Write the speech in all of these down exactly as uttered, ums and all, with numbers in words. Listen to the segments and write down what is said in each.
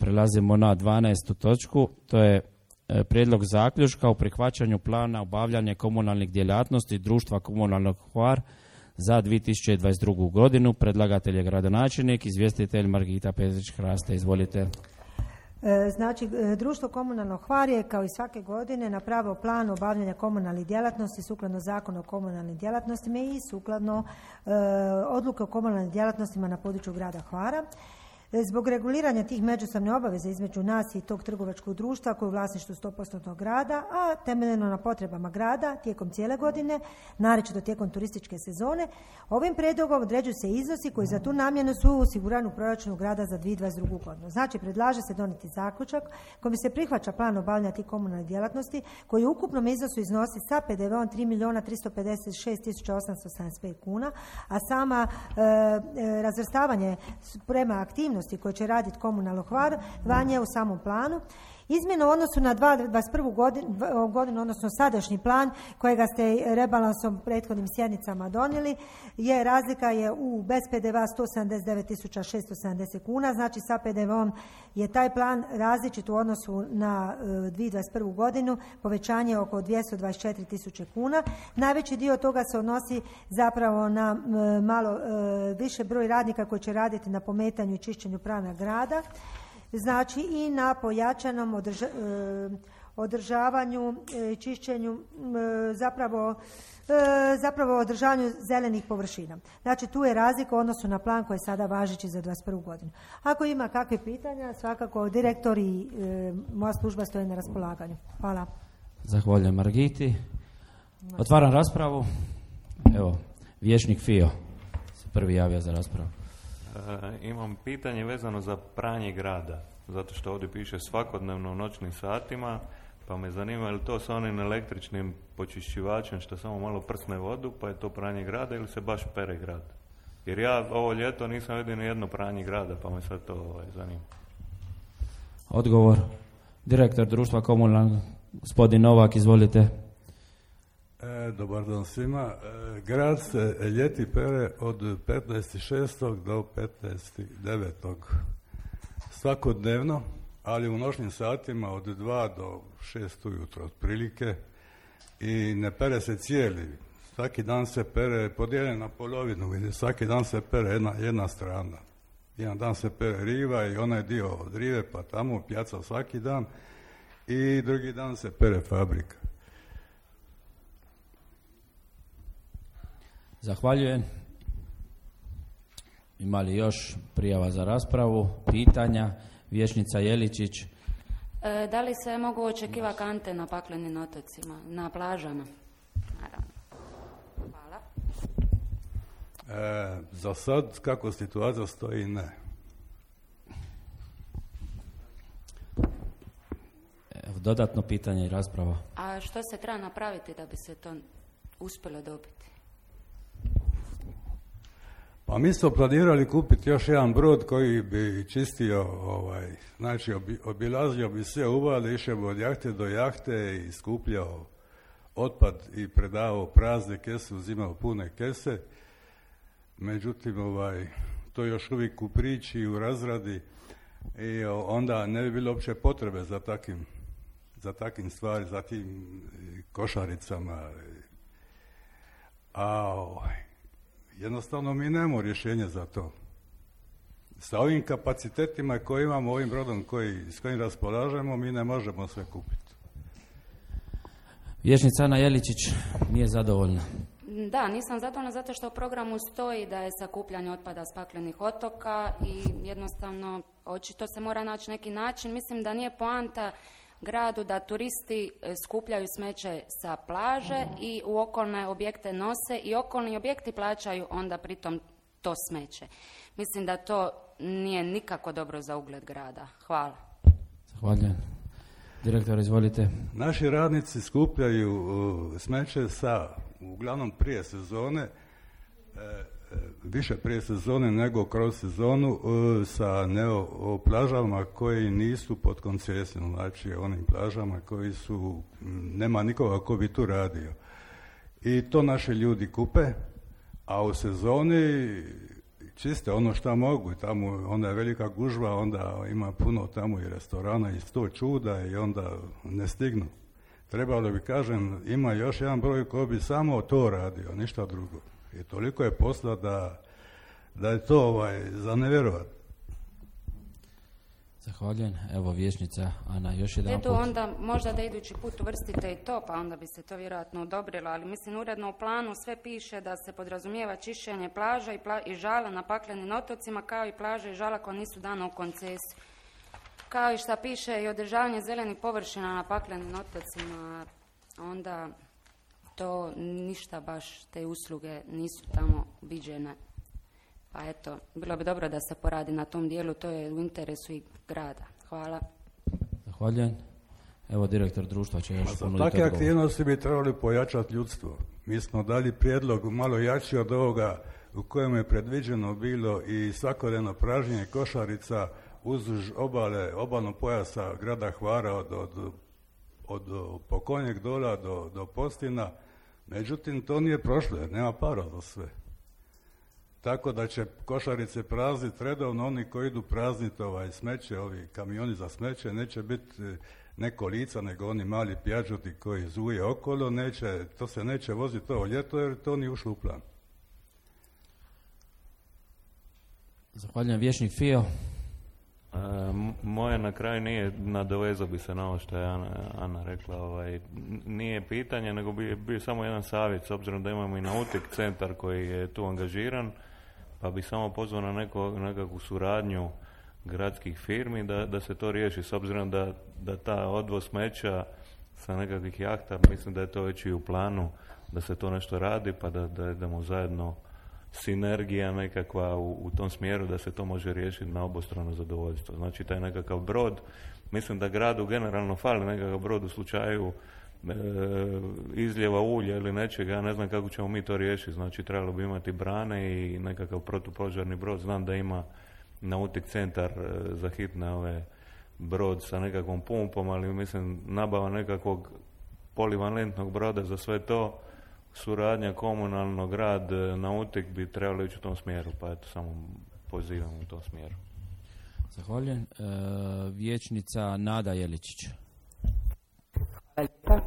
Prelazimo na dvanaestu točku, to je e, prijedlog zaključka o prihvaćanju plana obavljanja komunalnih djelatnosti društva Komunalnog Hvar za dvije tisuće dvadeset drugu godinu. Predlagatelj je gradonačelnik, izvjestitelj Margita Petrić-Hraste. Izvolite. Znači, društvo Komunalnog Hvar je kao i svake godine napravilo plan obavljanja komunalnih djelatnosti sukladno Zakonu o komunalnim djelatnostima i sukladno e, odluke o komunalnim djelatnostima na području grada Hvara. Zbog reguliranja tih međusobne obaveze između nas i tog trgovačkog društva koje je u vlasništvu sto posto grada, a temeljeno na potrebama grada tijekom cijele godine, naročito tijekom turističke sezone, ovim prijedlogom određuju se iznosi koji za tu namjenu su osigurani u proračunu grada za dvije tisuće dvadeset drugu godinu. Znači, predlaže se donijeti zaključak kojim se prihvaća plan obavljanja tih komunalnih djelatnosti koji u ukupnom iznosu iznosi sa pe de veom tri milijuna tristo pedeset šest tisuća osamsto sedamdeset pet kuna, a sama e, e, razvrstavanje prema aktivnosti koje će raditi Komunalno Hvar vanje u samom planu. Izmjena u odnosu na dvadeset prvu godinu, godinu, odnosno sadašnji plan kojega ste rebalansom prethodnim sjednicama donijeli, je razlika je u bez pe de vea sto sedamdeset devet tisuća šesto sedamdeset kuna, znači sa pe de veom je taj plan različit u odnosu na dvije tisuće dvadeset prvu godinu, povećanje oko dvjesto dvadeset četiri tisuće kuna. Najveći dio toga se odnosi zapravo na malo više broj radnika koji će raditi na pometanju i čišćenju prana grada, znači i na pojačanom održa, održavanju i čišćenju, zapravo, zapravo održavanju zelenih površina. Znači, tu je razlika u odnosu na plan koji je sada važeći za dvadeset prvu godinu. Ako ima kakve pitanja, svakako direktor i moja služba stoji na raspolaganju. Hvala. Zahvaljujem Margiti. Otvaram raspravu. Evo, vijećnik Fio se prvi javio za raspravu. E, imam pitanje vezano za pranje grada, zato što ovdje piše svakodnevno u noćnim satima, pa me zanima je li to sa onim električnim počišćivačem što samo malo prsne vodu, pa je to pranje grada ili se baš pere grad? Jer ja ovo ljeto nisam vidio ni jedno pranje grada, pa me sad to ovaj, zanima. Odgovor. Direktor društva Komunalnog, gospodin Novak, izvolite. E, dobar dan svima. E, grad se ljeti pere od petnaestog šestog do petnaestog devetog svakodnevno, ali u noćnim satima od dva do šest ujutro otprilike, i ne pere se cijeli. Svaki dan se pere, podijeljen na polovinu, gdje svaki dan se pere jedna, jedna strana. Jedan dan se pere riva i onaj dio od rive pa tamo pjaca svaki dan, i drugi dan se pere fabrika. Zahvaljujem. Ima li još prijava za raspravu, pitanja? Vijećnica Jeličić. E, da li se mogu očekivati kante na paklenim otocima, na plažama? Naravno. Hvala. E, za sad, kako situacija stoji, ne. Evo, dodatno pitanje i rasprava. A što se treba napraviti da bi se to uspjelo dobiti? Pa mi smo planirali kupiti još jedan brod koji bi čistio, ovaj, znači obi, obilazio bi sve uvale, išao bi od jahte do jahte i skupljao otpad i predavao prazne kese, uzimao pune kese. Međutim, ovaj, to je još uvijek u priči i u razradi, i onda ne bi bilo uopće potrebe za takim, za takim stvari, za tim košaricama. A ovaj, jednostavno mi nemamo rješenje za to. Sa ovim kapacitetima koje imamo, ovim brodom koji, s kojim raspolažemo, mi ne možemo sve kupiti. Vijećnica Ana Jeličić nije zadovoljna. Da, nisam zadovoljna zato što u programu stoji da je sakupljanje otpada s paklenih otoka i jednostavno očito se mora naći neki način. Mislim da nije poanta gradu da turisti skupljaju smeće sa plaže i u okolne objekte nose i okolni objekti plaćaju onda pritom to smeće. Mislim da to nije nikako dobro za ugled grada. Hvala. Zahvaljujem. Direktor, izvolite. Naši radnici skupljaju uh, smeće sa, uglavnom prije sezone, uh, više prije sezone nego kroz sezonu, uh, sa neo, o plažama koji nisu pod koncesijom, znači onim plažama koji su, nema nikoga ko bi tu radio. I to naši ljudi kupe, a u sezoni čiste ono što mogu. Tamo onda je velika gužva, onda ima puno tamo i restorana i sto čuda i onda ne stignu. Trebalo bi, kažem, ima još jedan broj koji bi samo to radio, ništa drugo. I toliko je posla da, da je to ovaj, za nevjerovat. Zahvaljujem. Evo vijećnica Ana, još jedan Eto, put. onda možda da idući put uvrstite i to, pa onda bi se to vjerojatno odobrilo, ali mislim uredno u planu sve piše da se podrazumijeva čišćenje plaža i, pla- i žala na paklenim otocima, kao i plaže i žala koja nisu dana u koncesiju. Kao i šta piše i održavanje zelenih površina na paklenim otocima, onda to ništa baš, te usluge nisu tamo viđene. Pa eto, bilo bi dobro da se poradi na tom dijelu, to je u interesu i grada. Hvala. Zahvaljujem. Evo direktor društva će još Za ponuditi takve odgovor. aktivnosti bi trebali pojačati ljudstvo. Mi smo dali prijedlog malo jači od ovoga u kojem je predviđeno bilo i svakodnevno pražnjenje košarica uzduž obale, obalnog pojasa grada Hvara od, od, od, od Pokonjeg dola do, do Postina. Međutim, to nije prošlo jer nema para za sve. Tako da će košarice prazniti redovno, oni koji idu prazniti ovaj smeće, ovi kamioni za smeće, neće biti neko lica, nego oni mali pjađuti koji zuje okolo, neće, to se neće voziti ovo ljeto jer to nije ušlo u plan. Zahvaljujem. Vijećnik Fio. E, moje na kraju nije, nadovezao bi se na ovo što je Ana, Ana rekla, ovaj, nije pitanje, nego bi bio samo jedan savjet, s obzirom da imamo i nautik centar koji je tu angažiran, pa bi samo pozvao na neko, nekakvu suradnju gradskih firmi da, da se to riješi, s obzirom da, da ta odvoz smeća sa nekakvih jahta, mislim da je to već i u planu, da se to nešto radi, pa da, da idemo zajedno sinergija nekakva u, u tom smjeru da se to može riješiti na obostrano zadovoljstvo. Znači taj nekakav brod, mislim da gradu generalno fali nekakav brod u slučaju e, izljeva ulja ili nečega, ja ne znam kako ćemo mi to riješiti. Znači trebalo bi imati brane i nekakav protupožarni brod. Znam da ima nautik centar e, za hitne ove brod sa nekakvom pumpom, ali mislim nabava nekakvog polivalentnog broda za sve to, suradnja komunalnog, grad, nautik bi trebali ići u tom smjeru, pa eto samo pozivam u tom smjeru. Zahvaljujem. E, vijećnica Nada Jeličić. Hvala lijepa.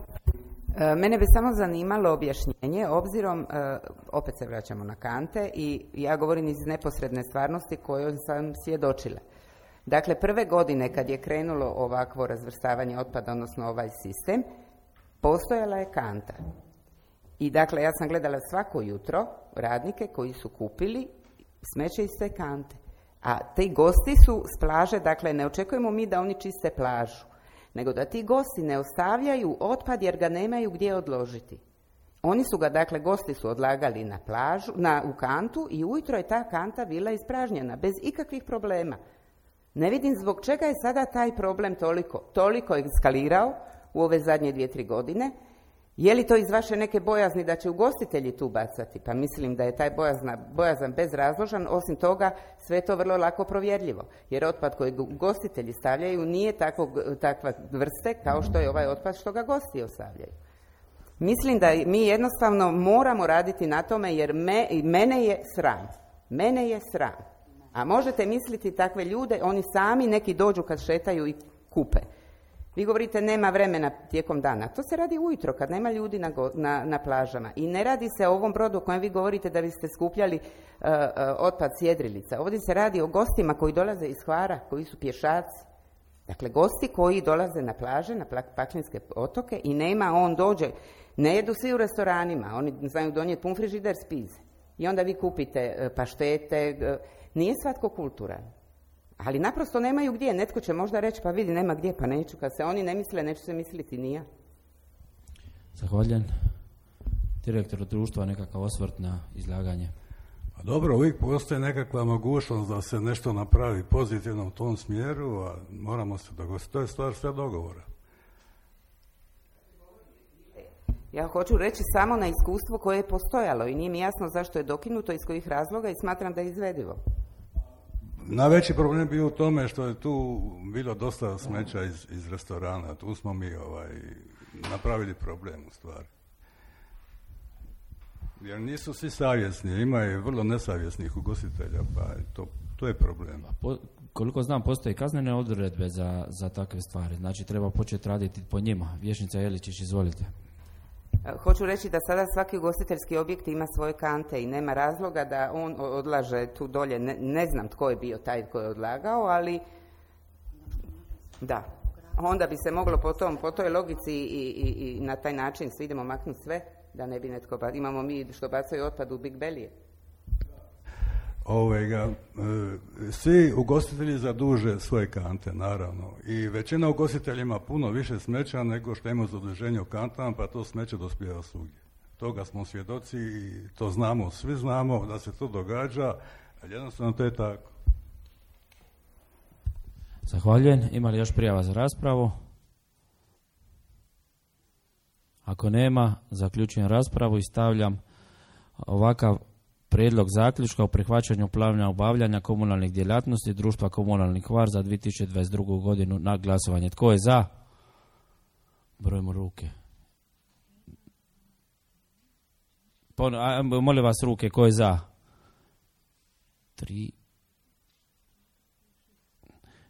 E, mene bi samo zanimalo objašnjenje, obzirom, e, opet se vraćamo na kante i ja govorim iz neposredne stvarnosti kojoj sam svjedočila. Dakle, prve godine kad je krenulo ovakvo razvrstavanje otpada, odnosno ovaj sistem, postojala je kanta. I dakle, ja sam gledala svako jutro radnike koji su kupili smeće iz te kante. A ti gosti su s plaže, dakle, ne očekujemo mi da oni čiste plažu, nego da ti gosti ne ostavljaju otpad jer ga nemaju gdje odložiti. Oni su ga, dakle, gosti su odlagali na plažu, na, u kantu i ujutro je ta kanta bila ispražnjena, bez ikakvih problema. Ne vidim zbog čega je sada taj problem toliko, toliko eskalirao u ove zadnje dvije, tri godine. Je li to iz vaše neke bojazni da će ugostitelji tu bacati? Pa mislim da je taj bojazna, bojazan bezrazložan, osim toga sve je to vrlo lako provjerljivo, jer otpad koji ugostitelji stavljaju nije takvog, takva vrste kao što je ovaj otpad što ga gosti ostavljaju. Mislim da mi jednostavno moramo raditi na tome jer me, mene je sram. Mene je sram. A možete misliti takve ljude, oni sami neki dođu kad šetaju i kupe. Vi govorite nema vremena tijekom dana. To se radi ujutro kad nema ljudi na, go, na, na plažama. I ne radi se o ovom brodu o kojem vi govorite da biste skupljali uh, uh, otpad s jedrilica. Ovdje se radi o gostima koji dolaze iz Hvara, koji su pješaci. Dakle, gosti koji dolaze na plaže, na Paklenske otoke i nema, on dođe. Ne jedu svi u restoranima, oni znaju donijeti pun frižider s pize. I onda vi kupite uh, paštete. Uh, nije svatko kulturan. Ali naprosto nemaju gdje. Netko će možda reći, pa vidi, nema gdje, pa neću. Kad se oni ne misle, neću se misliti ni ja. Zahvaljujem. Direktor društva, nekakav osvrt na izlaganje. A dobro, uvijek postoji nekakva mogućnost da se nešto napravi pozitivno u tom smjeru, a moramo se dogovoriti. To je stvar sve dogovora. Ja hoću reći samo na iskustvo koje je postojalo i nije mi jasno zašto je dokinuto, iz kojih razloga i smatram da je izvedivo. Najveći problem bio u tome što je tu bilo dosta smeća iz, iz restorana. Tu smo mi ovaj, napravili problem u stvari. Jer nisu svi savjesni, ima i vrlo nesavjesnih ugostitelja, pa to, to je problem. Po, koliko znam, postoje kaznene odredbe za, za takve stvari, znači treba početi raditi po njima. Vješnica Jeličić, izvolite. Hoću reći da sada svaki ugostiteljski objekt ima svoje kante i nema razloga da on odlaže tu dolje. Ne, ne znam tko je bio taj koji je odlagao, ali da. Onda bi se moglo po, tom, po toj logici i, i, i na taj način svi idemo maknuti sve, da ne bi netko ba... Imamo mi što bacaju otpad u Big Belije. Ovega, svi ugostitelji zaduže svoje kante, naravno. I većina ugostitelja ima puno više smeća nego što ima zaduženje u kantama, pa to smeće dospijeva svugdje. Toga smo svjedoci i to znamo, svi znamo da se to događa, ali jednostavno to je tako. Zahvaljujem. Ima li još prijava za raspravu? Ako nema, zaključujem raspravu i stavljam ovakav prijedlog zaključka o prihvaćanju plana obavljanja komunalnih djelatnosti društva Komunalni Hvar za dvije tisuće dvadeset drugu. godinu na glasovanje. Tko je za? Brojimo ruke. Pon, a, molim vas ruke, ko je za? Tri.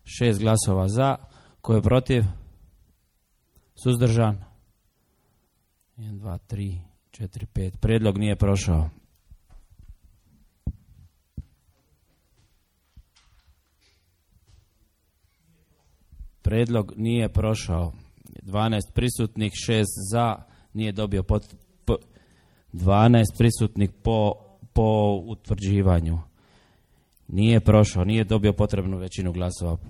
Šest glasova za. Ko je protiv? Suzdržan? Jedan, dva, tri, četiri, pet. Prijedlog nije prošao. Prijedlog nije prošao. dvanaest prisutnih, šest za, nije dobio pot, po, dvanaest prisutnih po, po utvrđivanju. Nije prošao, nije dobio potrebnu većinu glasova.